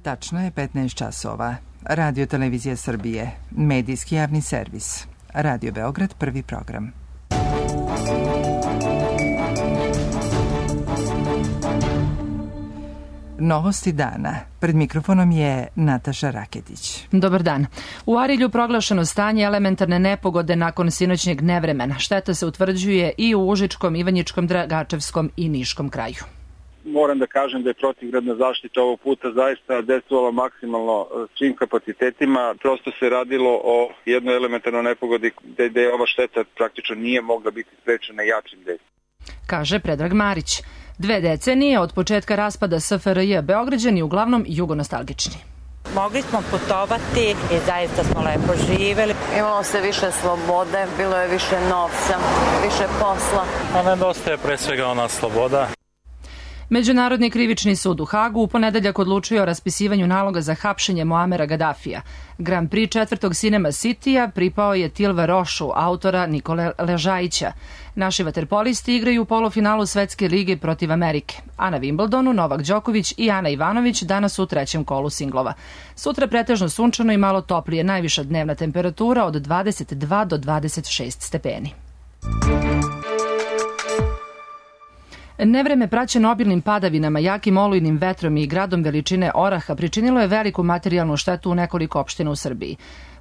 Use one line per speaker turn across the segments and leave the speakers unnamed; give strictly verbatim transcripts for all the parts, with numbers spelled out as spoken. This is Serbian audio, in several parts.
Tačno je petnaest časova. Radio Televizija Srbije, medijski javni servis. Radio Beograd, prvi program. Novosti dana. Pred mikrofonom je Nataša Raketić.
Dobar dan. U Arilju proglašeno stanje elementarne nepogode nakon sinoćnjeg nevremena. Šteta se utvrđuje i u Užičkom, Ivanjičkom, Dragačevskom i Niškom kraju.
Moram da kažem da je protivgradna zaštita ovog puta zaista dejstvovala maksimalno svim kapacitetima. Prosto se radilo o jednoj elementarnoj nepogodi gde ova šteta praktično nije mogla biti sprečena jačim dejstvom.
Kaže Predrag Marić. Dve decenije od početka raspada S F R J Beograđani uglavnom jugonostalgični.
Mogli smo putovati i zaista smo lepo živeli.
Imalo se više slobode, bilo je više novca, više posla.
A nedostaje pre svega ona sloboda.
Međunarodni krivični sud u Hagu u ponedeljak odlučio o raspisivanju naloga za hapšenje Muamera Gadafija. Grand Prix četvrtog Cinema Citya pripao je Tilve Rošu, autora Nikole Ležajića. Naši vaterpolisti igraju u polufinalu Svetske lige protiv Amerike. A na Wimbledonu Novak Đoković i Ana Ivanović danas u trećem kolu singlova. Sutra pretežno sunčano i malo toplije, najviša dnevna temperatura od dvadeset dva do dvadeset šest stepeni. Nevreme praćeno obilnim padavinama, jakim olujnim vetrom i gradom veličine oraha pričinilo je veliku materijalnu štetu u nekoliko opština u Srbiji.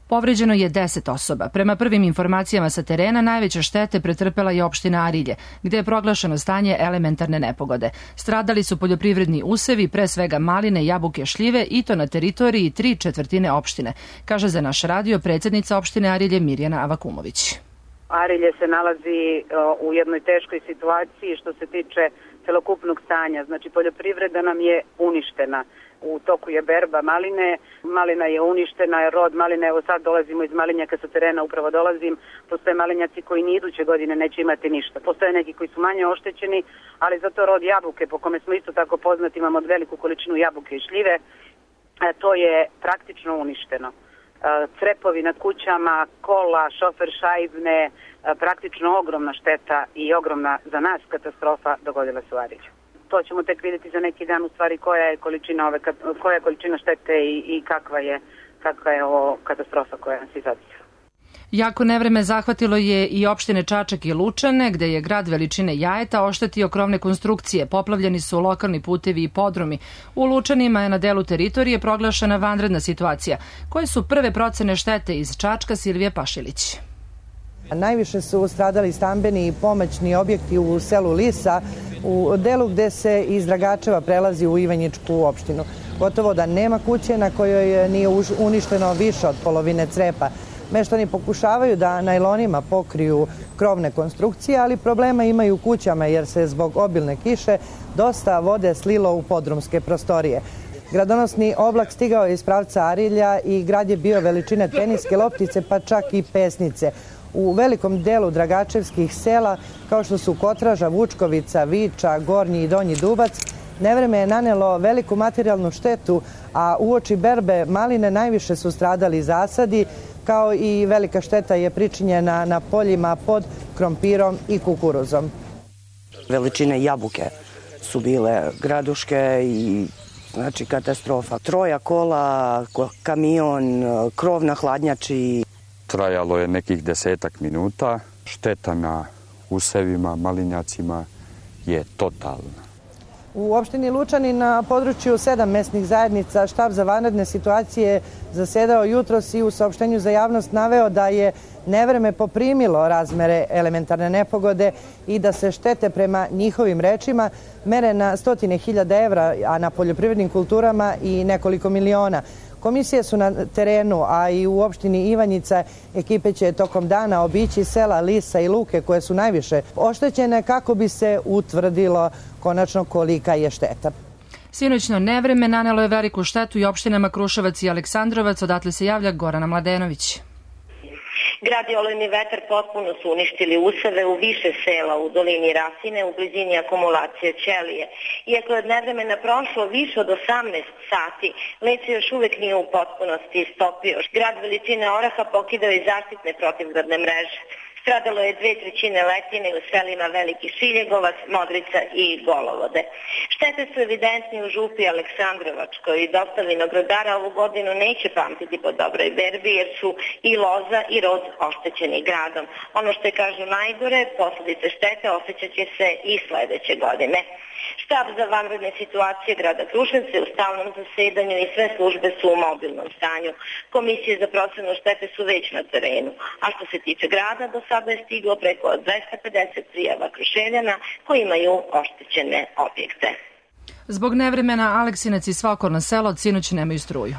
Povređeno je deset osoba. Prema prvim informacijama sa terena, najveće štete pretrpela je opština Arilje, gde je proglašeno stanje elementarne nepogode. Stradali su poljoprivredni usevi, pre svega maline, jabuke, šljive i to na teritoriji tri četvrtine opštine, kaže za naš radio predsjednica opštine Arilje Mirjana Avakumović.
Arilje se nalazi u jednoj teškoj situaciji što se tiče celokupnog stanja. Znači, poljoprivreda nam je uništena. U toku je berba maline, malina je uništena, rod maline, evo sad dolazimo iz malinjaka sa terena, upravo dolazim, postoje malinjaci koji ni iduće godine neće imati ništa. Postoje neki koji su manje oštećeni, ali zato rod jabuke, po kome smo isto tako poznati, imamo veliku količinu jabuke i šljive, to je praktično uništeno. Crepovi na kućama, kola, šofer šajbne, praktično ogromna šteta i ogromna za nas katastrofa dogodila se u Arilju. To ćemo tek vidjeti za neki dan u stvari koja je količina ove koja je količina štete i, i kakva je kakva je ovo katastrofa koja nas izadila.
Jako nevreme zahvatilo je i opštine Čačak i Lučane, gde je grad veličine Jajeta oštetio krovne konstrukcije, poplavljeni su lokalni putevi i podrumi. U Lučanima je na delu teritorije proglašena vanredna situacija. Koje su prve procene štete iz Čačka, Silvije Pašilić?
Najviše su stradali stambeni i pomoćni objekti u selu Lisa, u delu gde se iz Dragačeva prelazi u Ivanjičku opštinu. Gotovo da nema kuće na kojoj nije uništeno više od polovine crepa. Meštani pokušavaju da najlonima pokriju krovne konstrukcije, ali problema imaju u kućama jer se zbog obilne kiše dosta vode slilo u podrumske prostorije. Gradonosni oblak stigao je iz pravca Arilja i grad je bio veličine teniske loptice pa čak i pesnice. U velikom delu dragačevskih sela, kao što su Kotraža, Vučkovica, Viča, Gornji i Donji Dubac, nevreme je nanelo veliku materijalnu štetu, a uoči berbe maline najviše su stradali zasadi, kao i velika šteta je pričinjena na poljima pod krompirom i kukuruzom.
Veličine jabuke su bile graduške i znači katastrofa. Troja kola, kamion, krov na hladnjači.
Trajalo je nekih desetak minuta. Šteta na usevima, malinjacima je totalna.
U opštini Lučani na području sedam mesnih zajednica štab za vanredne situacije zasedao jutros i u saopštenju za javnost naveo da je nevreme poprimilo razmere elementarne nepogode i da se štete prema njihovim rečima mere na stotine hiljada evra, a na poljoprivrednim kulturama i nekoliko miliona. Komisije su na terenu, a i u opštini Ivanjica ekipe će tokom dana obići sela Lisa i Luke koje su najviše oštećene kako bi se utvrdilo konačno kolika je šteta.
Sinoćno nevreme nanelo je veliku štetu i opštinama Kruševac i Aleksandrovac, odatle se javlja Gorana Mladenović.
Grad i olujni vetar potpuno su uništili useve u više sela u dolini Rasine u blizini akumulacije Ćelije. Iako je od nevremena prošlo više od osamnaest sati, led se još uvek nije u potpunosti istopio. Grad veličine oraha pokidao i zaštitne protivgradne mreže. Stradalo je dve trećine letine u selima Veliki Šiljegovac, Modrica i Golovode. Štete su evidentni u župi Aleksandrovačkoj i dosta vinogradara ovu godinu neće pamtiti po dobroj berbi jer su i loza i rod oštećeni gradom. Ono što je kažu najgore, posljedice štete osjećat će se i sledeće godine. Štab za vanredne situacije grada Kruševca je u stalnom zasedanju i sve službe su u mobilnom stanju. Komisije za procenu štete su već na terenu. A što se tiče grada, do sada je stiglo preko dvesta pedeset prijava Kruševljana koji imaju oštećene objekte.
Zbog nevremena Aleksinac i sva okolna sela od sinoć nemaju struju.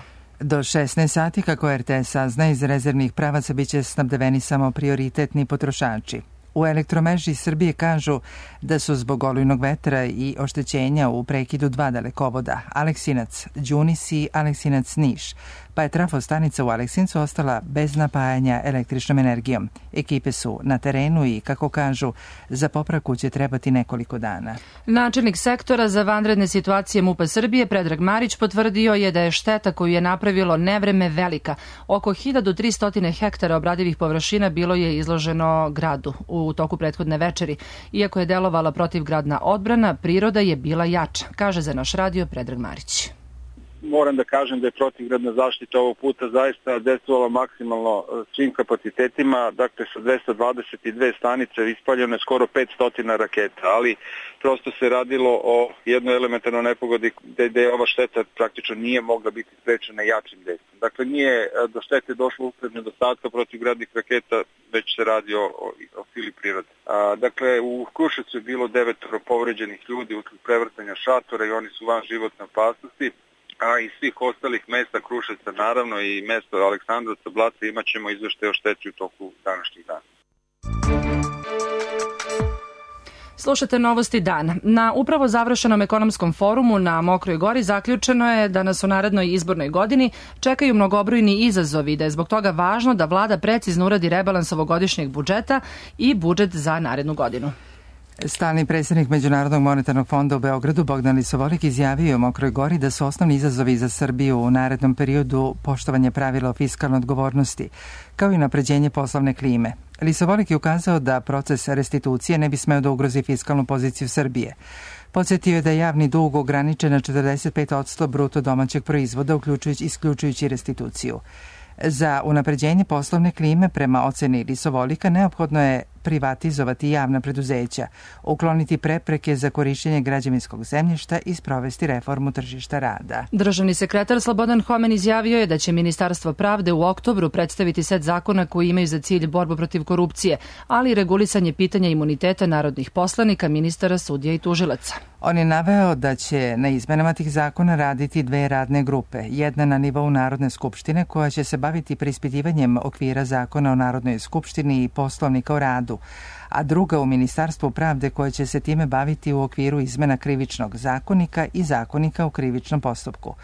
Do šesnaest sati, kako er te es sazna, iz rezervnih pravaca biće snabdeveni samo prioritetni potrošači. U Elektromreži Srbije kažu da su zbog olujnog vetra i oštećenja u prekidu dva dalekovoda, Aleksinac Đunis i Aleksinac Niš, pa je trafostanica u Aleksincu ostala bez napajanja električnom energijom. Ekipe su na terenu i, kako kažu, za popravku će trebati nekoliko dana.
Načelnik sektora za vanredne situacije MUP-a Srbije, Predrag Marić, potvrdio je da je šteta koju je napravilo nevreme velika. Oko hiljadu tristo hektara obradivih površina bilo je izloženo gradu u toku prethodne večeri. Iako je delovala protivgradna odbrana, priroda je bila jača, kaže za naš radio Predrag Marić.
Moram da kažem da je protivgradna zaštita ovog puta zaista dejstvovala maksimalno svim kapacitetima, dakle sa dvesta dvadeset dve stanice ispaljeno je skoro petsto raketa, ali prosto se radilo o jednoj elementarnoj nepogodi gde je ova šteta praktično nije mogla biti sprečena jačim dejstvom. Dakle, nije do štete došlo usled nedostatka protivgradnih raketa, već se radi o, o, o sili prirode. A, dakle, u Kruševcu je bilo devetoro povređenih ljudi usled prevrtanja šatora i oni su van životne opasnosti. A iz svih ostalih mesta Kruševca, naravno i mesta Aleksandrovca, Blaca, imat ćemo izveštaje o šteti u toku današnjih dana.
Slušate Novosti dana. Na upravo završenom ekonomskom forumu na Mokroj Gori zaključeno je da nas u narednoj izbornoj godini čekaju mnogobrojni izazovi i da je zbog toga važno da vlada precizno uradi rebalans ovogodišnjeg budžeta i budžet za narednu godinu.
Stalni predsjednik Međunarodnog monetarnog fonda u Beogradu Bogdan Lisovolik izjavio u Mokroj Gori da su osnovni izazovi za Srbiju u narednom periodu poštovanje pravila o fiskalnoj odgovornosti, kao i unapređenje poslovne klime. Lisovolik je ukazao da proces restitucije ne bi smeo da ugrozi fiskalnu poziciju Srbije. Podsjetio je da je javni dug ograničen na četrdeset pet posto bruto domaćeg proizvoda, uključujući isključujući restituciju. Za unapređenje poslovne klime, prema oceni Lisovolika, neophodno je privatizovati javna preduzeća, ukloniti prepreke za korišćenje građevinskog zemljišta i sprovesti reformu tržišta rada.
Državni sekretar Slobodan Homen izjavio je da će Ministarstvo pravde u oktobru predstaviti set zakona koji imaju za cilj borbu protiv korupcije, ali i regulisanje pitanja imuniteta narodnih poslanika, ministara, sudija i tužilaca.
On je naveo da će na izmenama tih zakona raditi dve radne grupe. Jedna na nivou Narodne skupštine koja će se baviti preispitivanjem okvira zakona o Narodnoj skupštini i poslovnika o radu, a druga u Ministarstvu pravde koja će se time baviti u okviru izmena krivičnog zakonika i zakonika u krivičnom postupku.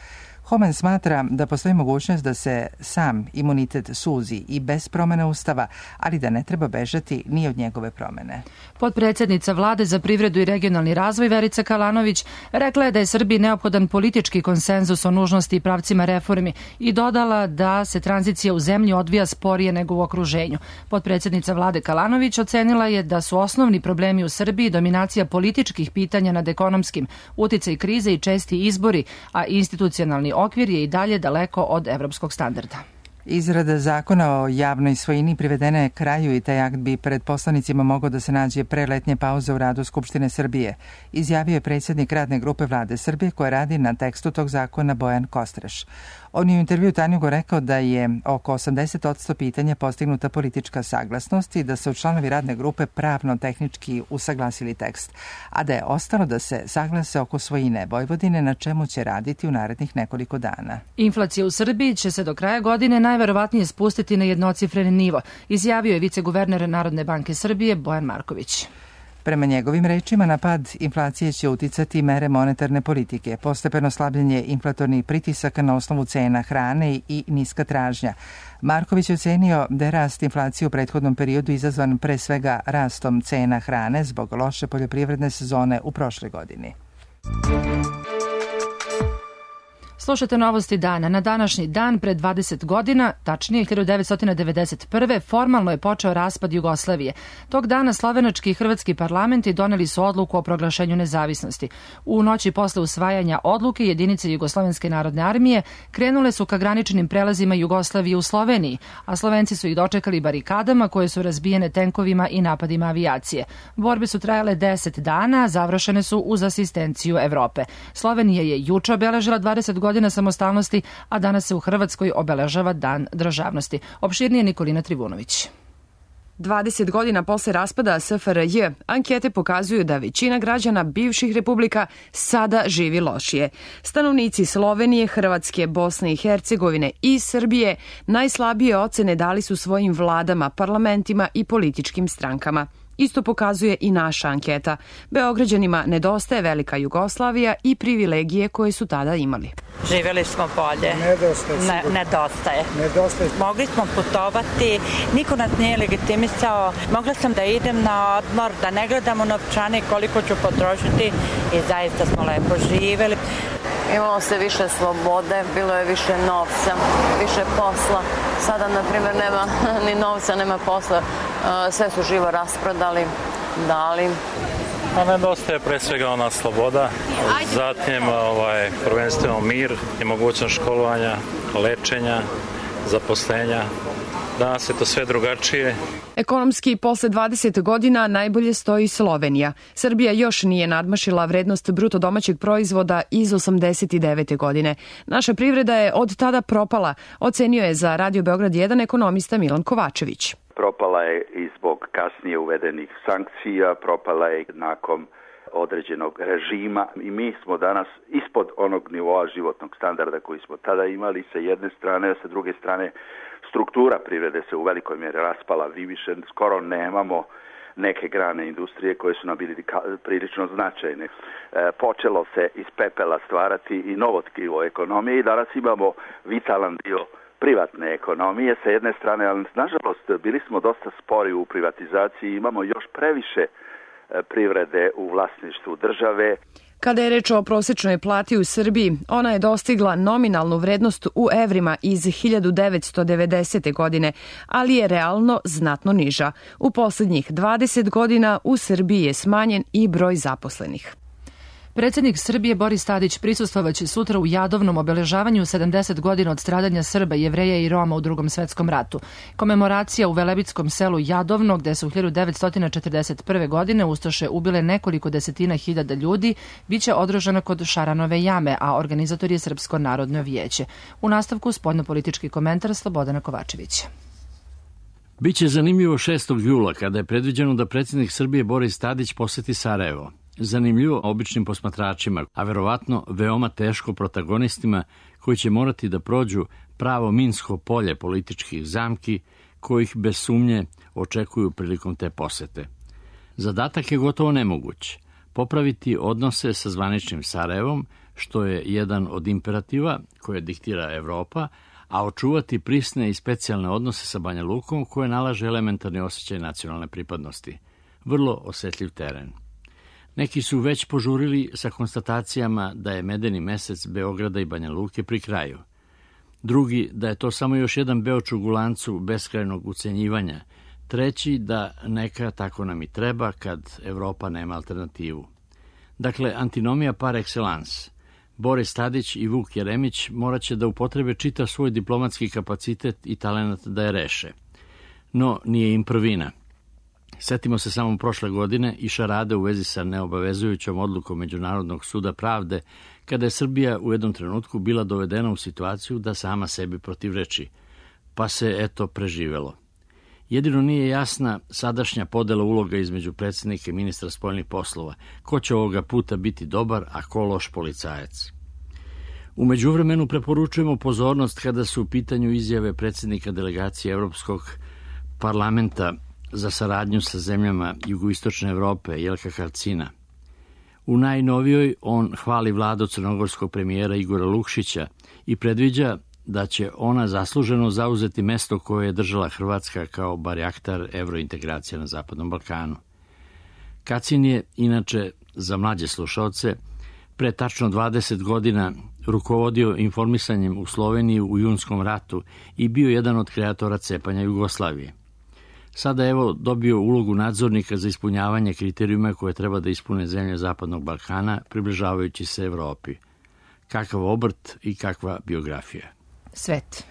Homen smatra da postoji mogućnost da se sam imunitet suzi i bez promene Ustava, ali da ne treba bežati ni od njegove promene.
Potpredsjednica Vlade za privredu i regionalni razvoj Verica Kalanović rekla je da je Srbiji neophodan politički konsenzus o nužnosti i pravcima reformi i dodala da se tranzicija u zemlji odvija sporije nego u okruženju. Potpredsjednica Vlade Kalanović ocenila je da su osnovni problemi u Srbiji dominacija političkih pitanja nad ekonomskim, uticaj krize i česti izbori, a institucionalni okvir je i dalje daleko od evropskog standarda.
Izrada zakona o javnoj svojini privedena je kraju i taj akt bi pred poslanicima mogao da se nađe pre letnje pauze u radu Skupštine Srbije, izjavio je predsjednik radne grupe Vlade Srbije koja radi na tekstu tog zakona Bojan Kostreš. On je u intervju Tanjugu rekao da je oko osamdeset posto pitanja postignuta politička saglasnost i da su članovi radne grupe pravno-tehnički usaglasili tekst, a da je ostalo da se saglase oko svojine Vojvodine, na čemu će raditi u narednih nekoliko dana.
Inflacija u Srbiji će se do kraja godine najverovatnije spustiti na jednocifreni nivo, izjavio je viceguverner Narodne banke Srbije Bojan Marković.
Prema njegovim rečima, na pad inflacije će uticati mere monetarne politike, postepeno slabljenje inflatornih pritisaka na osnovu cena hrane i niska tražnja. Marković je ocenio da je rast inflacije u prethodnom periodu izazvan pre svega rastom cena hrane zbog loše poljoprivredne sezone u prošloj godini.
Slušajte novosti dana. Na današnji dan, pre dvadeset godina, tačnije hiljadu devetsto devedeset prve. formalno je počeo raspad Jugoslavije. Tog dana slovenački i hrvatski parlamenti doneli su odluku o proglašenju nezavisnosti. U noći posle usvajanja odluke jedinice Jugoslovenske narodne armije krenule su ka graničnim prelazima Jugoslavije u Sloveniji, a Slovenci su ih dočekali barikadama koje su razbijene tenkovima i napadima avijacije. Borbe su trajale deset dana, završene su uz asistenciju Evrope. Slovenija je juče obeležila dvadeset godina samostalnosti, a danas se u Hrvatskoj obeležava Dan državnosti. Opširnije Nikolina Trivunović.
dvadeset godina posle raspada S F R J, ankete pokazuju da većina građana bivših republika sada živi lošije. Stanovnici Slovenije, Hrvatske, Bosne i Hercegovine i Srbije najslabije ocene dali su svojim vladama, parlamentima i političkim strankama. Isto pokazuje i naša anketa. Beograđanima nedostaje velika Jugoslavija i privilegije koje su tada imali.
Živjeli smo bolje.
Nedostaje.
Ne, nedostaje.
Nedostaje.
Mogli smo putovati, niko nas nije legitimisao. Mogla sam da idem na odmor, da ne gledam u novčane koliko ću potrošiti i zaista smo lepo živjeli.
Imalo se više slobode, bilo je više novca, više posla. Sada, na primjer, nema ni novca, nema posla. Sve su živo rasprodali, dali.
A nedostaje pre svega ona sloboda, zatim ovaj, prvenstveno mir i mogućnost školovanja, lečenja, zaposlenja. Danas je to sve drugačije.
Ekonomski, posle dvadeset godina najbolje stoji Slovenija. Srbija još nije nadmašila vrednost bruto domaćeg proizvoda iz osamdeset devete. godine. Naša privreda je od tada propala, ocenio je za Radio Beograd jedan ekonomista Milan Kovačević.
Propala je i zbog kasnije uvedenih sankcija, propala je nakon određenog režima i mi smo danas ispod onog nivoa životnog standarda koji smo tada imali sa jedne strane, a sa druge strane struktura privrede se u velikoj mjeri raspala. Vi više skoro nemamo neke grane industrije koje su nam bili prilično značajne. E, počelo se iz pepela stvarati i novo tkivo ekonomije i danas imamo vitalan dio privatne ekonomije sa jedne strane, ali nažalost bili smo dosta spori u privatizaciji, imamo još previše privrede u vlasništvu države.
Kada je reč o prosečnoj plati u Srbiji, ona je dostigla nominalnu vrednost u evrima iz hiljadu devetsto devedesete. godine, ali je realno znatno niža. U poslednjih dvadeset godina u Srbiji je smanjen i broj zaposlenih.
Predsjednik Srbije Boris Tadić prisustvovaće sutra u Jadovnom obeležavanju sedamdeset godina od stradanja Srba, Jevreja i Roma u Drugom svetskom ratu. Komemoracija u velebitskom selu Jadovno, gde su hiljadu devetsto četrdeset prve. godine ustaše ubile nekoliko desetina hiljada ljudi, biće održana kod Šaranove jame, a organizator je Srpsko narodno vijeće. U nastavku spoljnopolitički komentar Slobodana Kovačevića.
Biće zanimljivo šestog jula, kada je predviđeno da predsjednik Srbije Boris Tadić poseti Sarajevo. Zanimljivo običnim posmatračima, a verovatno veoma teško protagonistima koji će morati da prođu pravo minsko polje političkih zamki kojih bez sumnje očekuju prilikom te posete. Zadatak je gotovo nemoguć. Popraviti odnose sa zvaničnim Sarajevom, što je jedan od imperativa koje diktira Evropa, a očuvati prisne i specijalne odnose sa Banja Lukom koje nalaže elementarni osjećaj nacionalne pripadnosti. Vrlo osetljiv teren. Neki su već požurili sa konstatacijama da je medeni mesec Beograda i Banja Luke pri kraju. Drugi da je to samo još jedan beočug u lancu beskrajnog ucenjivanja. Treći da neka tako nam i treba kad Evropa nema alternativu. Dakle, antinomija par excellence. Boris Tadić i Vuk Jeremić morat će da upotrebe čitav svoj diplomatski kapacitet i talenat da je reše. No, nije im prvina. Setimo se samo prošle godine i šarade u vezi sa neobavezujućom odlukom Međunarodnog suda pravde, kada je Srbija u jednom trenutku bila dovedena u situaciju da sama sebi protivreči, pa se eto preživelo. Jedino nije jasna sadašnja podela uloga između predsjednika i ministra spoljnih poslova, ko će ovoga puta biti dobar, a ko loš policajac. U međuvremenu preporučujemo pozornost kada su u pitanju izjave predsjednika delegacije Evropskog parlamenta za saradnju sa zemljama jugoistočne Evrope, Jelka Kacina. U najnovijoj on hvali vladu crnogorskog premijera Igora Lukšića i predviđa da će ona zasluženo zauzeti mesto koje je držala Hrvatska kao barjaktar evrointegracija na Zapadnom Balkanu. Kacin je, inače, za mlađe slušaoce, pre tačno dvadeset godina rukovodio informisanjem u Sloveniji u Junskom ratu i bio jedan od kreatora cepanja Jugoslavije. Sada evo dobio ulogu nadzornika za ispunjavanje kriterijuma koje treba da ispune zemlje Zapadnog Balkana, približavajući se Evropi. Kakav obrt i kakva biografija.
Svet.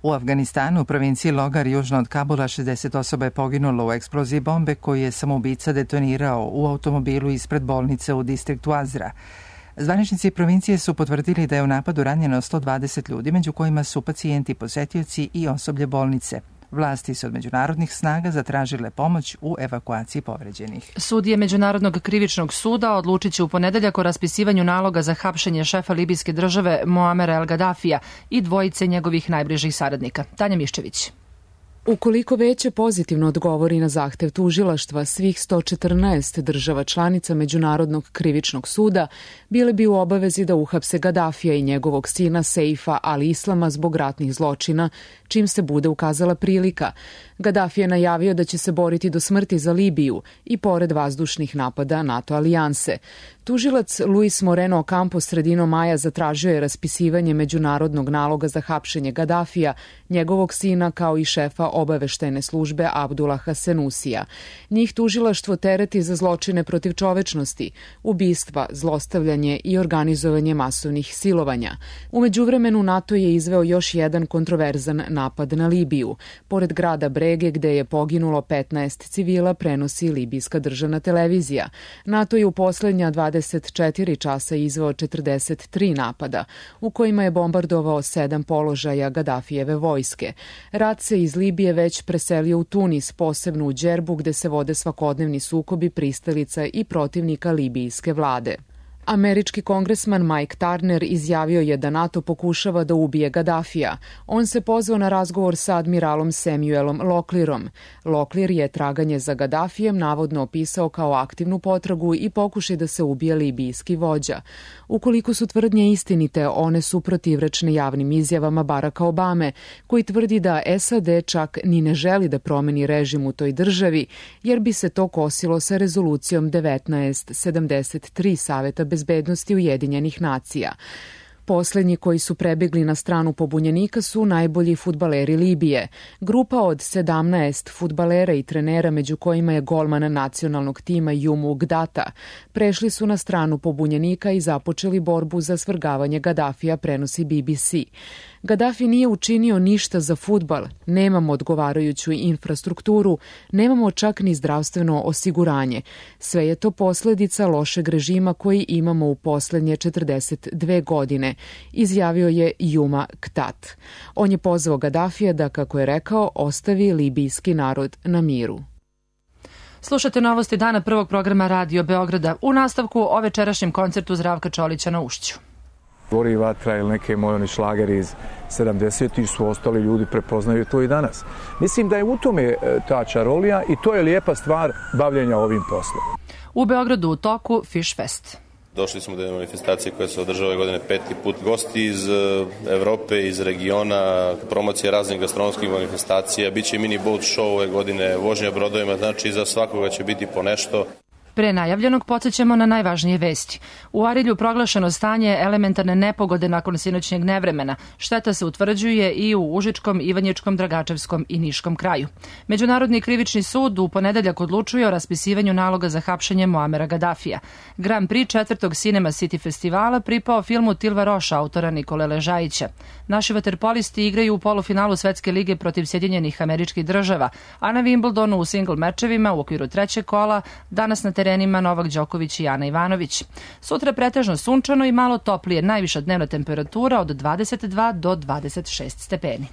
U Afganistanu, u provinciji Logar, južno od Kabula, šezdeset osoba je poginulo u eksploziji bombe koju je samoubica detonirao u automobilu ispred bolnice u distriktu Azra. Zvaničnici provincije su potvrdili da je u napadu ranjeno sto dvadeset ljudi, među kojima su pacijenti, posetioci i osoblje bolnice. Vlasti su od međunarodnih snaga zatražile pomoć u evakuaciji povređenih.
Sudije Međunarodnog krivičnog suda odlučit će u ponedeljak o raspisivanju naloga za hapšenje šefa libijske države Muamera El Gadafija i dvojice njegovih najbližih saradnika. Tanja Miščević.
Ukoliko Veće pozitivno odgovori na zahtev tužilaštva svih sto četrnaest država članica Međunarodnog krivičnog suda, bile bi u obavezi da uhapse Gadafija i njegovog sina Seifa al-Islama zbog ratnih zločina, čim se bude ukazala prilika. Gaddafi je najavio da će se boriti do smrti za Libiju i pored vazdušnih napada NATO alijanse. Tužilac Luis Moreno Ocampo sredinom maja zatražio je raspisivanje međunarodnog naloga za hapšenje Gaddafija, njegovog sina kao i šefa obaveštajne službe Abdullaha Senusija. Njih tužilaštvo tereti za zločine protiv čovečnosti, ubistva, zlostavljanje i organizovanje masovnih silovanja. U međuvremenu NATO je izveo još jedan kontroverzan napad na Libiju. Pored grada Brege, gde je poginulo petnaest civila, prenosi libijska državna televizija. NATO je u poslednja dvadeset četiri časa izveo četrdeset tri napada, u kojima je bombardovao sedam položaja Gaddafijeve vojske. Rat se iz Libije već preselio u Tunis, posebno u Džerbu, gde se vode svakodnevni sukobi pristalica i protivnika libijske vlade. Američki kongresman Mike Turner izjavio je da NATO pokušava da ubije Gaddafija. On se pozvao na razgovor sa admiralom Samuelom Locklearom. Locklear je traganje za Gaddafijem navodno opisao kao aktivnu potragu i pokušaj da se ubije libijski vođa. Ukoliko su tvrdnje istinite, one su protivrečne javnim izjavama Baracka Obame, koji tvrdi da S A D čak ni ne želi da promeni režim u toj državi, jer bi se to kosilo sa rezolucijom devetnaest sedamdeset tri Saveta bezbednosti Ujedinjenih nacija. Poslednji koji su prebegli na stranu pobunjenika su najbolji fudbaleri Libije. Grupa od sedamnaest fudbalera i trenera, među kojima je golman nacionalnog tima Jumu Gdata, prešli su na stranu pobunjenika i započeli borbu za svrgavanje Gaddafija, prenosi B B C. Gaddafi nije učinio ništa za fudbal, nemamo odgovarajuću infrastrukturu, nemamo čak ni zdravstveno osiguranje. Sve je to posledica lošeg režima koji imamo u poslednje četrdeset dve godine, izjavio je Juma Ktat. On je pozvao Gaddafija da, kako je rekao, ostavi libijski narod na miru.
Slušate novosti dana prvog programa Radio Beograda. U nastavku o večerašnjem koncertu Zdravka Čolića na Ušću.
Gori vatra ili neke mojoni šlageri iz sedamdesetih su ostali ljudi, prepoznaju to i danas. Mislim da je u tome ta čarolija i to je lijepa stvar bavljenja ovim poslom.
U Beogradu u toku Fish Fest.
Došli smo do jedne manifestacije koja se održava ove godine peti put. Gosti iz Evrope, iz regiona, promocije raznih gastronomskih manifestacija, biće mini boat show ove godine, vožnja brodovima, znači za svakoga će biti po nešto.
Pre najavljenog podsjećamo na najvažnije vesti. U Arilju proglašeno stanje elementarne nepogode nakon sinoćnjeg nevremena. Šteta se utvrđuje i u Užičkom, Ivanjičkom, Dragačevskom i Niškom kraju. Međunarodni krivični sud u ponedeljak odlučuje o raspisivanju naloga za hapšenje Muamera Gaddafija. Grand Prix četvrtog Cinema City festivala pripao filmu Tilva Roša, autora Nikole Ležajića. Naši vaterpolisti igraju u polufinalu Svetske lige protiv Sjedinjenih Američkih Država, a na Wimbledonu u singl mečevima u okviru trećeg kola danas na terenima Novak Đoković i Ana Ivanović. Sutra pretežno sunčano i malo toplije, najviša dnevna temperatura od dvadeset dva do dvadeset šest stepeni.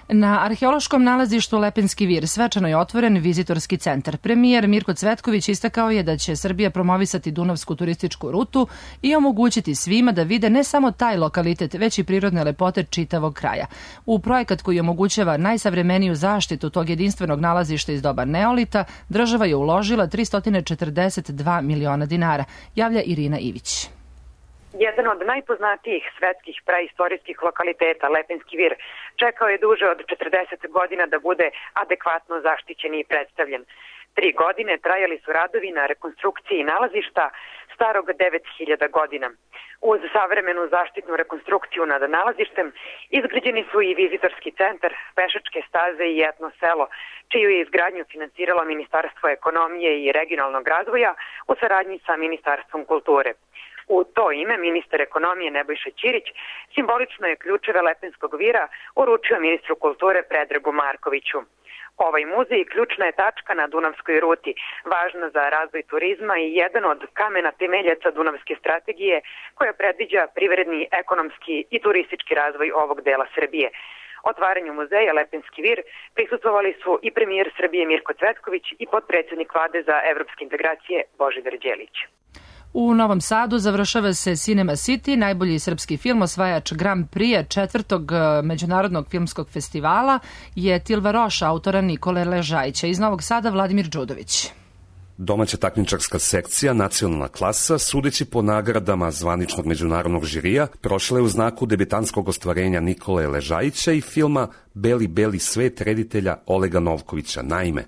Na arheološkom nalazištu Lepenski vir svečano je otvoren vizitorski centar. Premijer Mirko Cvetković istakao je da će Srbija promovisati Dunavsku turističku rutu i omogućiti svima da vide ne samo taj lokalitet, već i prirodne lepote čitavog kraja. U projekat koji omogućava najsavremeniju zaštitu tog jedinstvenog nalazišta iz doba neolita, država je uložila tristo četrdeset dva miliona dinara, javlja Irina Ivić.
Jedan od najpoznatijih svetskih praistorijskih lokaliteta, Lepenski vir, čekao je duže od četrdeset godina da bude adekvatno zaštićen i predstavljen. Tri godine trajali su radovi na rekonstrukciji nalazišta, starog devet hiljada godina. Uz savremenu zaštitnu rekonstrukciju nad nalazištem izgrađeni su i vizitorski centar, pešačke staze i etno selo, čiju je izgradnju finansiralo Ministarstvo ekonomije i regionalnog razvoja u saradnji sa Ministarstvom kulture. U to ime ministar ekonomije Nebojša Ćirić simbolično je ključeve Lepenskog vira uručio ministru kulture Predragu Markoviću. Ovaj muzej ključna je tačka na Dunavskoj ruti, važna za razvoj turizma i jedan od kamena temeljaca Dunavske strategije koja predviđa privredni, ekonomski i turistički razvoj ovog dela Srbije. Otvaranju muzeja Lepenski vir prisustvovali su i premijer Srbije Mirko Cvetković i potpredsjednik vlade za evropske integracije Božidar Đelić.
U Novom Sadu završava se Cinema City, najbolji srpski film, osvajač Grand Prix četvrtog međunarodnog filmskog festivala je Tilva Roš, autora Nikole Ležajića. Iz Novog Sada Vladimir Đudović.
Domaća takmičarska sekcija, nacionalna klasa, sudeći po nagradama zvaničnog međunarodnog žirija, prošla je u znaku debitanskog ostvarenja Nikole Ležajića i filma Beli, beli svet reditelja Olega Novkovića. Naime,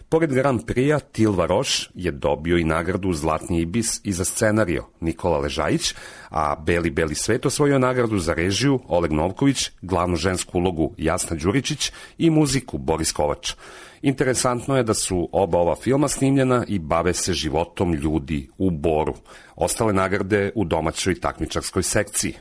pored Grand Prix-a, Tilva Roš je dobio i nagradu Zlatni ibis i za scenario Nikola Ležajić, a Beli, beli svet osvojio nagradu za režiju Oleg Novković, glavnu žensku ulogu Jasna Đuričić i muziku Boris Kovač. Interesantno je da su oba ova filma snimljena i bave se životom ljudi u Boru. Ostale nagrade u domaćoj takmičarskoj sekciji.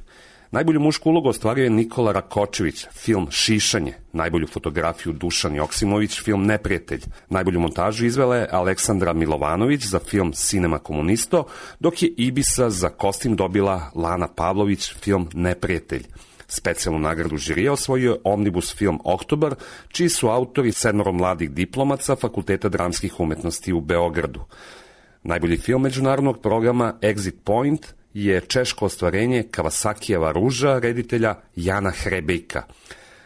Najbolju mušku ulogu ostvario je Nikola Rakočević, film Šišanje, najbolju fotografiju Dušan Joksimović, film Neprijatelj. Najbolju montažu izvela je Aleksandra Milovanović za film Cinema Komunisto, dok je Ibisa za kostim dobila Lana Pavlović, film Neprijatelj. Specijalnu nagradu žirija osvojio je Omnibus film Oktobar, čiji su autori sedmoro mladih diplomaca Fakulteta dramskih umetnosti u Beogradu. Najbolji film međunarodnog programa Exit Point je češko ostvarenje Kawasakijeva ruža reditelja Jana Hrebejka.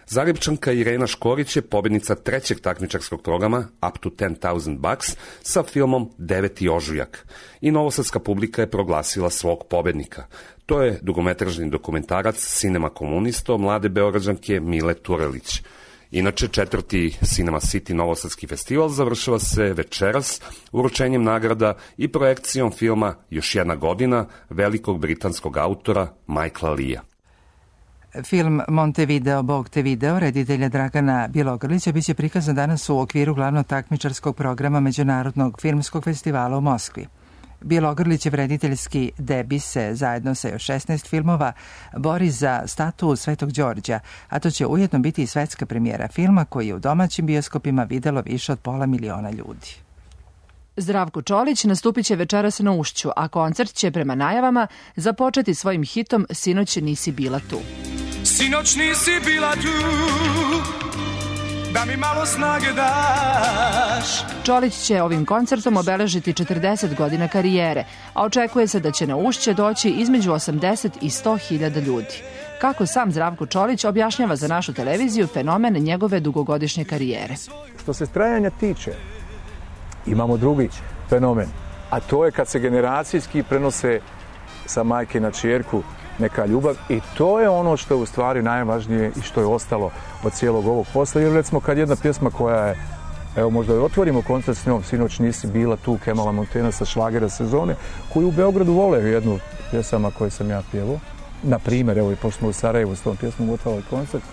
Zagrebčanka Irena Škorić je pobednica trećeg takmičarskog programa Up to ten thousand bucks sa filmom Deveti ožujak. I novosadska publika je proglasila svog pobednika. To je dugometražni dokumentarac Cinema Komunisto mlade beograđanke Mile Turelić. Inače, četvrti Cinema City Novosadski festival završava se večeras uručenjem nagrada i projekcijom filma Još jedna godina velikog britanskog autora Michaela Leea.
Film Montevideo, Bog te video, reditelja Dragana Bjelogrlića, biće prikazan danas u okviru glavnog takmičarskog programa Međunarodnog filmskog festivala u Moskvi. Bjelogrlićev rediteljski debi se zajedno sa još šesnaest filmova bori za statu Svetog Đorđa, a to će ujedno biti i svetska premijera filma koji je u domaćim bioskopima videlo više od pola miliona ljudi.
Zdravko Čolić nastupit će večeras na Ušću, a koncert će prema najavama započeti svojim hitom Sinoć nisi bila tu.
Sinoć nisi bila tu, da mi malo snage daš.
Čolić će ovim koncertom obeležiti četrdeset godina karijere, a očekuje se da će na Ušće doći između osamdeset i sto hiljada ljudi. Kako sam Zdravko Čolić objašnjava za našu televiziju fenomen njegove dugogodišnje karijere.
Što se trajanja tiče, imamo drugi fenomen, a to je kad se generacijski prenose sa majke na ćerku neka ljubav i to je ono što je u stvari najvažnije i što je ostalo od cijelog ovog posla. Jer recimo kad jedna pjesma koja je, evo možda je otvorimo koncert s njom, Sinoć nisi bila tu, Kemala Montena sa šlagera sezone, koju u Beogradu vole jednu pjesama koju sam ja pjevao. Na primjer, evo i pošto smo u Sarajevu s tom pjesmom otvarali koncert,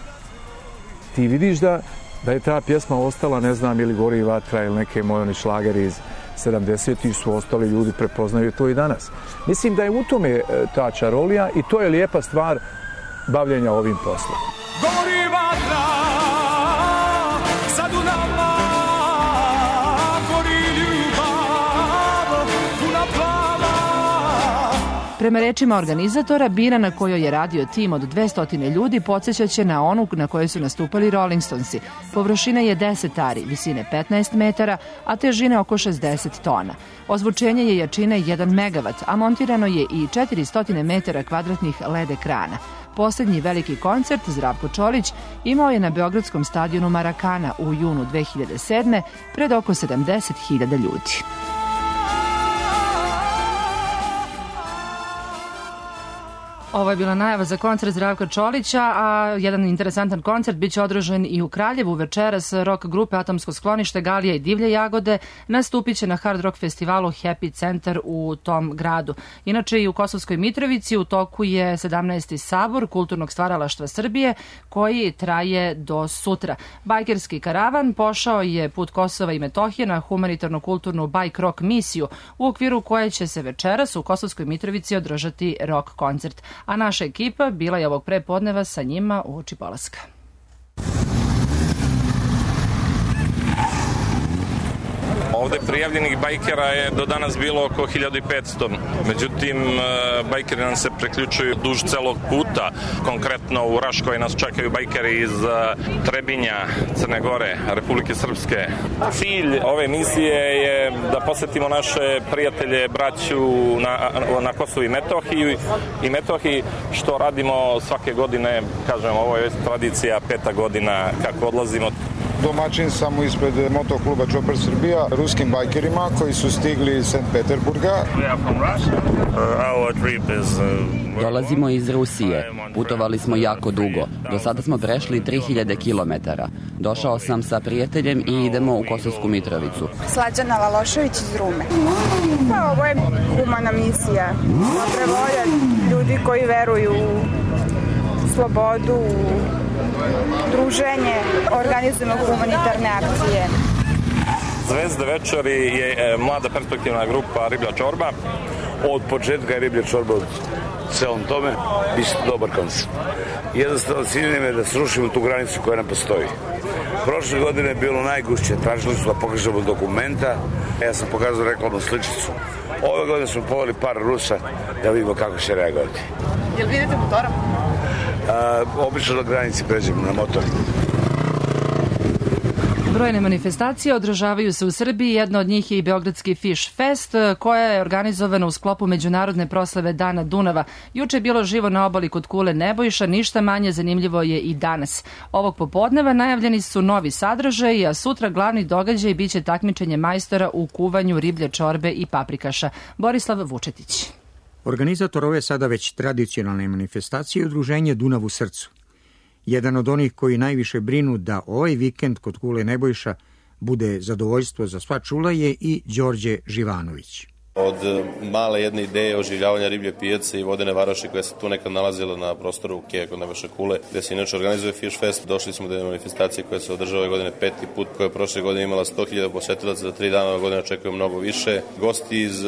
ti vidiš da, da je ta pjesma ostala, ne znam, ili Gori vatra ili neke moje oni šlageri iz sedamdesetih su ostali ljudi, prepoznaju to i danas. Mislim da je u tome ta čarolija i to je lijepa stvar bavljenja ovim poslom.
Gori vatra, sad u nama, gori ljubav, puna plava.
Prema rečima organizatora, bina na kojoj je radio tim od dvesta ljudi podsjećaće na onu na kojoj su nastupali Rolling Stonesi. Površina je deset ari, visine petnaest metara, a težine oko šezdeset tona. Ozvučenje je jačine jedan megavat, a montirano je i četiristo metara kvadratnih L E D ekrana. Poslednji veliki koncert Zdravko Čolić imao je na beogradskom stadionu Marakana u junu dve hiljade sedme pred oko sedamdeset hiljada ljudi. Ovo je bila najava za koncert Zdravka Čolića, a jedan interesantan koncert biće održan i u Kraljevu večeras. Rock grupe Atomsko sklonište, Galija i Divlje jagode nastupit će na Hard Rock festivalu Happy Centar u tom gradu. Inače i u Kosovskoj Mitrovici u toku je sedamnaesti sabor kulturnog stvaralaštva Srbije koji traje do sutra. Bajkerski karavan pošao je put Kosova i Metohije na humanitarno-kulturnu bike rock misiju u okviru koje će se večeras u Kosovskoj Mitrovici održati rock koncert. A naša ekipa bila je ovog prepodneva sa njima u oči polaska.
Ovde prijavljenih bajkera je do danas bilo oko hiljadu petsto. Međutim, bajkeri nam se preključuju duž celog puta. Konkretno u Raškoj nas čekaju bajkeri iz Trebinja, Crne Gore, Republike Srpske. Cilj ove misije je da posetimo naše prijatelje, braću na, na Kosovu i Metohiji, i Metohiji, što radimo svake godine. Kažem, ovo je već tradicija, peta godina kako odlazimo.
Domaćin sam ispred motokluba Chopper Srbija, ruskim bajkerima koji su stigli iz Sankt Peterburga.
Dolazimo iz Rusije. Putovali smo jako dugo. Do sada smo prešli tri hiljade kilometara. Došao sam sa prijateljem i idemo u Kosovsku Mitrovicu.
Slađana Lalošević iz Rume. Pa ovo je humana misija. Dobre volje ljudi koji veruju u slobodu, u druženje, organizujemo humanitarne akcije.
Zvezda večeri je mlada perspektivna grupa Riblja čorba.
Od početka je Riblja čorba od celom tome, bit će dobar koncert. Jednostavno cilj je da srušimo tu granicu koja nam postoji. Prošle godine je bilo najgušće, tražili su da pokažemo dokumenta, ja sam pokazao reklamnu sličicu. Ove godine smo poveli par Rusa da vidimo kako će reagovati.
Jel vidite motorom?
A, obično na granici pređemo na motor.
Brojne manifestacije održavaju se u Srbiji, jedna od njih je i Beogradski Fish Fest, koja je organizovana u sklopu međunarodne proslave Dana Dunava. Juče je bilo živo na obali kod Kule Nebojša, ništa manje zanimljivo je i danas. Ovog popodneva najavljeni su novi sadržaj, a sutra glavni događaj biće takmičenje majstora u kuvanju riblje čorbe i paprikaša. Borislav Vučetić.
Organizator ove sada već tradicionalne manifestacije je udruženje Dunav u srcu. Jedan od onih koji najviše brinu da ovaj vikend kod Kule Nebojša bude zadovoljstvo za sva čula je i Đorđe Živanović.
Od male jedne ideje oživljavanja riblje pijace i vodene varoši koja se tu nekad nalazila na prostoru Keja kod Nebojše Kule, gde se inače organizuje Fish Fest, došli smo do jedne manifestacije koja se održava ove godine peti put, koja je prošle godine imala sto hiljada posetilaca, za tri dana ove godine očekuju mnogo više. Gosti iz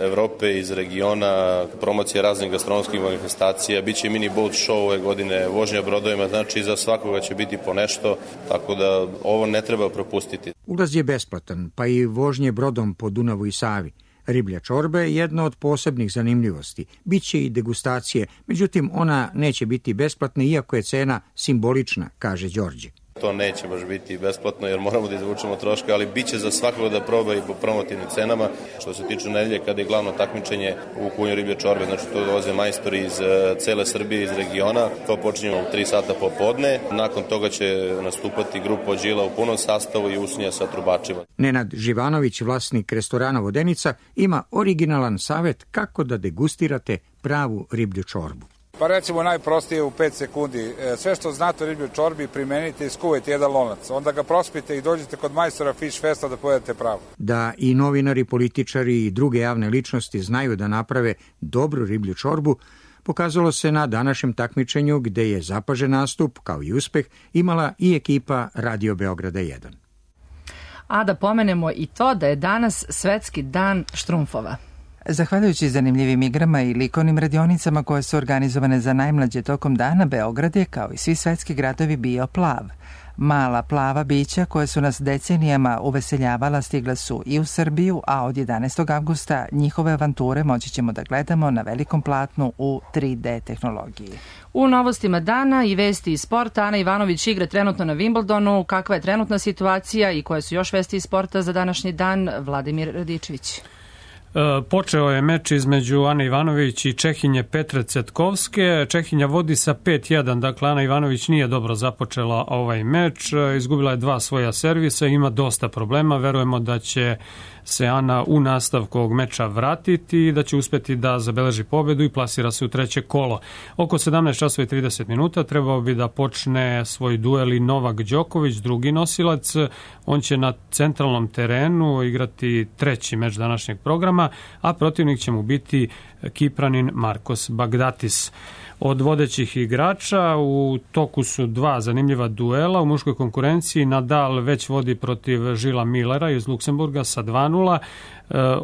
Evrope, iz regiona, promocija raznih gastronomskih manifestacija, biće i mini boat show ove godine, vožnja brodovima, znači za svakoga će biti po nešto, tako da ovo ne treba propustiti.
Ulaz je besplatan, pa i vožnje brodom po Dunavu i Savi. Riblja čorba je jedna od posebnih zanimljivosti. Biće i degustacije, međutim ona neće biti besplatna iako je cena simbolična, kaže Đorđe.
To neće baš biti besplatno jer moramo da izvučemo troške, ali bit će za svakoga da proba i po promotivnim cenama. Što se tiče nedelje kada je glavno takmičenje u kuvanju riblje čorbe, znači to dolaze majstori iz cele Srbije, iz regiona. To počinjemo u tri sata popodne. Nakon toga će nastupati grupa Đila u punom sastavu i usnija sa trubačima.
Nenad Živanović, vlasnik restorana Vodenica, ima originalan savet kako da degustirate pravu riblju čorbu.
Pa recimo najprostije u pet sekundi. Sve što znate o ribljoj čorbi primenite i skuvajte jedan lonac. Onda ga prospite i dođete kod majstora Fish Festa da pojedete pravo.
Da i novinari, političari i druge javne ličnosti znaju da naprave dobru riblju čorbu, pokazalo se na današnjem takmičenju gde je zapažen nastup, kao i uspeh, imala i ekipa Radio Beograda jedan.
A da pomenemo i to da je danas Svetski dan štrumfova.
Zahvaljujući zanimljivim igrama i likovnim radionicama koje su organizovane za najmlađe tokom dana, Beograd je, kao i svi svetski gradovi, bio plav. Mala plava bića koje su nas decenijama uveseljavala stigla su i u Srbiju, a od jedanaestog avgusta njihove avanture moći ćemo da gledamo na velikom platnu u tri D tehnologiji.
U novostima dana i vesti iz sporta, Ana Ivanović igra trenutno na Wimbledonu. Kakva je trenutna situacija i koje su još vesti iz sporta za današnji dan? Vladimir Radičević.
Počeo je meč između Ane Ivanović i Čehinje Petre Cetkovske. Čehinja vodi sa pet jedan, dakle Ana Ivanović nije dobro započela ovaj meč, izgubila je dva svoja servisa, ima dosta problema, verujemo da će se Ana u nastavku ovog meča vratiti i da će uspeti da zabeleži pobedu i plasira se u treće kolo. Oko sedamnaest časova i trideset minuta trebao bi da počne svoj duel i Novak Đoković, drugi nosilac. On će na centralnom terenu igrati treći meč današnjeg programa, a protivnik će mu biti Kipranin Markos Bagdatis. Od vodećih igrača u toku su dva zanimljiva duela. U muškoj konkurenciji Nadal već vodi protiv Žila Millera iz Luksemburga sa dva nula.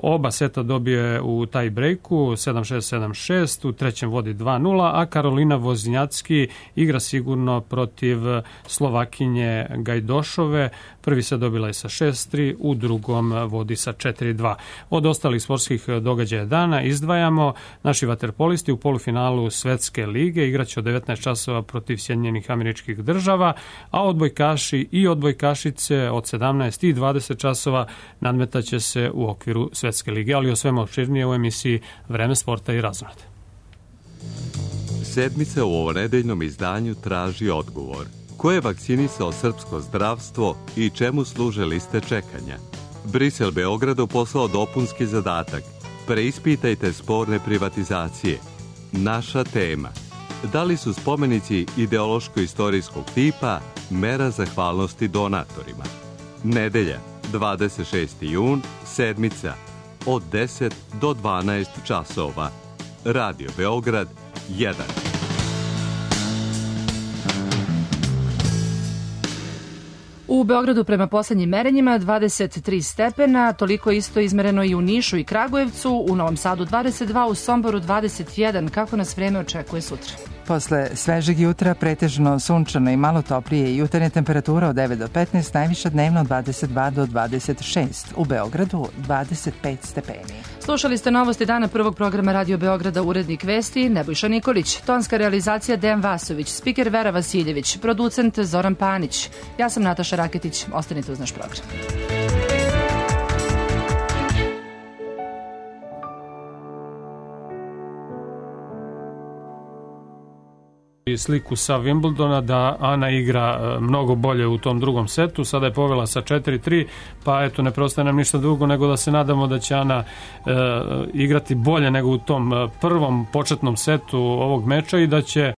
Oba seta dobije u taj breaku sedam šest sedam šest, u trećem vodi dva nula, a Karolina Voznjacki igra sigurno protiv Slovakinje Gajdošove. Prvi se dobila je sa šest tri, u drugom vodi sa četiri dva. Od ostalih sportskih događaja dana izdvajamo naši vaterpolisti u polufinalu Svetske lige igraće od devetnaest časova protiv Sjedinjenih Američkih Država, a odbojkaši i odbojkašice od sedamnaest i dvadeset časova nadmetaće se u okviru Svetske lige, ali o svemu opširnije u emisiji Vreme sporta i razonade.
Sedmica u ovonedeljnom izdanju traži odgovor. Ko je vakcinisao srpsko zdravstvo i čemu služe liste čekanja? Brisel Beogradu poslao dopunski zadatak. Preispitajte sporne privatizacije. Naša tema. Da li su spomenici ideološko-istorijskog tipa mera zahvalnosti donatorima? Nedelja, dvadeset šesti jun, sedmica, od deset do dvanaest časova. Radio Beograd jedan.
U Beogradu prema poslednjim merenjima dvadeset tri stepena, toliko isto izmereno i u Nišu i Kragujevcu, u Novom Sadu dvadeset dva, u Somboru dvadeset jedan. Kako nas vreme očekuje sutra?
Posle svežeg jutra pretežno sunčano i malo toplije, jutarnja temperatura od devet do petnaest, najviša dnevno od dvadeset dva do dvadeset šest. U Beogradu dvadeset pet stepeni.
Slušali ste novosti dana prvog programa Radio Beograda, urednik vesti Nebojša Nikolić, tonska realizacija Dejan Vasović, spiker Vera Vasiljević, producent Zoran Panić. Ja sam Nataša Raketić, ostanite uz naš program.
I sliku sa Wimbledona da Ana igra mnogo bolje u tom drugom setu, sada je povela sa četiri tri, pa eto ne preostaje nam ništa drugo nego da se nadamo da će Ana e, igrati bolje nego u tom prvom početnom setu ovog meča i da će